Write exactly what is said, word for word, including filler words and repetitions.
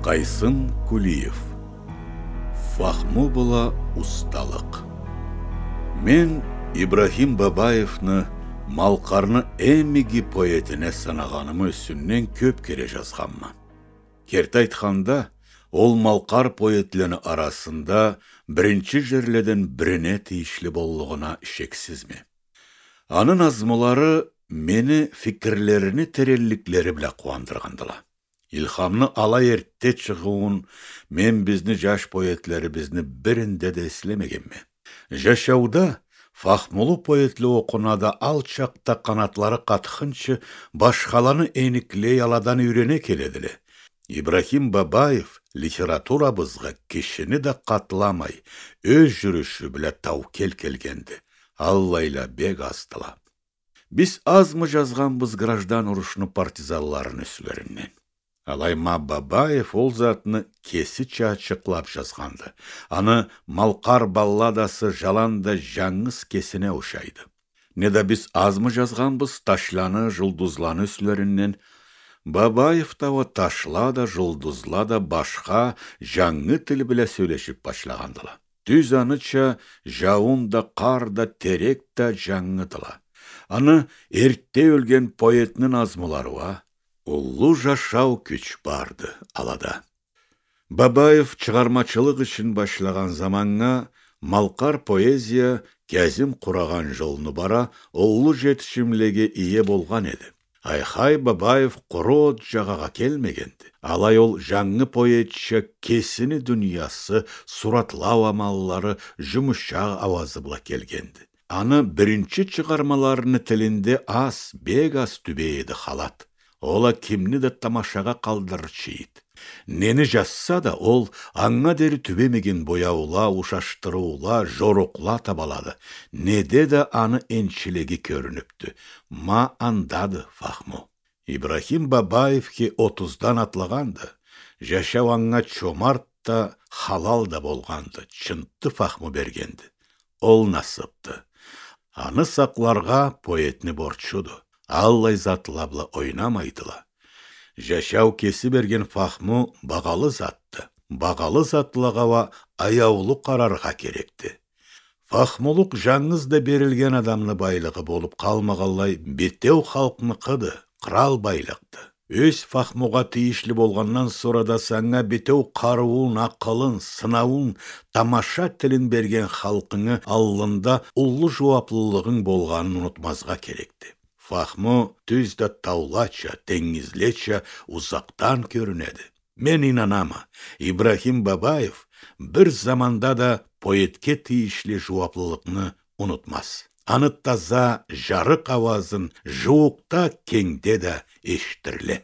Къайсын Кулиев. Фахму бла усталыкъ. Мен Ибрахим Бабаевни Малкъарны эм иги поэтине санагъанымы юсюнден кёп кере жазгъанма. Керти айтханда, ол малкъар поэтлени арасында биринчи жерледен бирине тийишли боллугъуна шексизме. Аны назмулары мени фикирлерини теренликлери бла къууандыргъандыла. Илхамны алай эртте чыгъыуун мен бизни жаш поэтлерибизни биринде да эслемегенме. Жашауда фахмулу поэтле окъуна да, алчакъда къанатлары къатхынчы, башхаланы эниклей, аладан юйрене келедиле. Ибрахим Бабаев литературабызгъа кишини да къатламай, ёз жюрюшю бла таукел келгенди. Аллайла бек аздыла. Биз азмы жазгъанбыз граждан урушну партизанларыны юслеринден. Алай ма Бабаев ол затны кесича ачыкълап жазгъанды. Аны «Малкъар балладасы» жаланда жангыз кесине ушайды. Неда биз азмы жазгъанбыз ташланы, жулдузланы юслеринден. Бабаев да уа ташла да, жулдузла да башха, жангы тил бла сёлешип башлагъандыла. Тюз аныча, жауун да, къар да, терек да жангыдыла. Аны эртте ёлген поэтни назмулары уа. Уллу жашау кюч барды алада. Бабаев чыгъармачылыкъ ишин башлагъан заманнга малкъар поэзия Кязим къурагъан жолну бара, уллу жетишимлеге ие болгъан эди. Айхай Бабаев къуру от жагъагъа келмегенди. Алай ол жангы поэтча кесини дуниясы, суратлау амаллары, жумушакъ ауазы бла келгенди. Аны биринчи чыгъармаларыны тилинде аз, бек аз тюбей эди халат. Ол а кимни да тамашагъа къалдырырча эди. Нени жазса да, ол анга дери тюбемеген бояула, ушашдырыула, жорукъла табалады. Неде да аны энчилеги кёрюнюпдю. Ма андады Фахму. Ибрахим Бабаевхи отуздан атлагъанды. Жашау анга чомарт да, халал да болгъанды. Чынтты Фахму бергенди. Ол насыпды. Аны сакъларгъа поэтни борчуду. Аллай затла бла ойнамайдыла. Жашау кеси берген Фахму багъалы затды. Багъалы затлагъа уа аяулу къараргъа керекди. Фахмулукъ жангыз да берилген адамны байлыгъы болуп къалмагъанлай, битеу халкъныкъыды, къырал байлыкъды. Ёз Фахмугъа тийишли болгъандан сора да санга битеу къарыуун, акъылын, сынауун, тамаша тилин берген халкъынгы аллында уллу жууаплылыгъынг болгъанын унутмазгъа керекди. Фахму тюз да таулача, тенгизлеча узакъдан кёрюнеди. Мен ийнанама, Ибрахим Бабаев бир заманда да поэтге тийишли жууаплылыкъны унутмаз. Аны таза, жарыкъ ауазын жууукъда, кенгде да эшитдириле.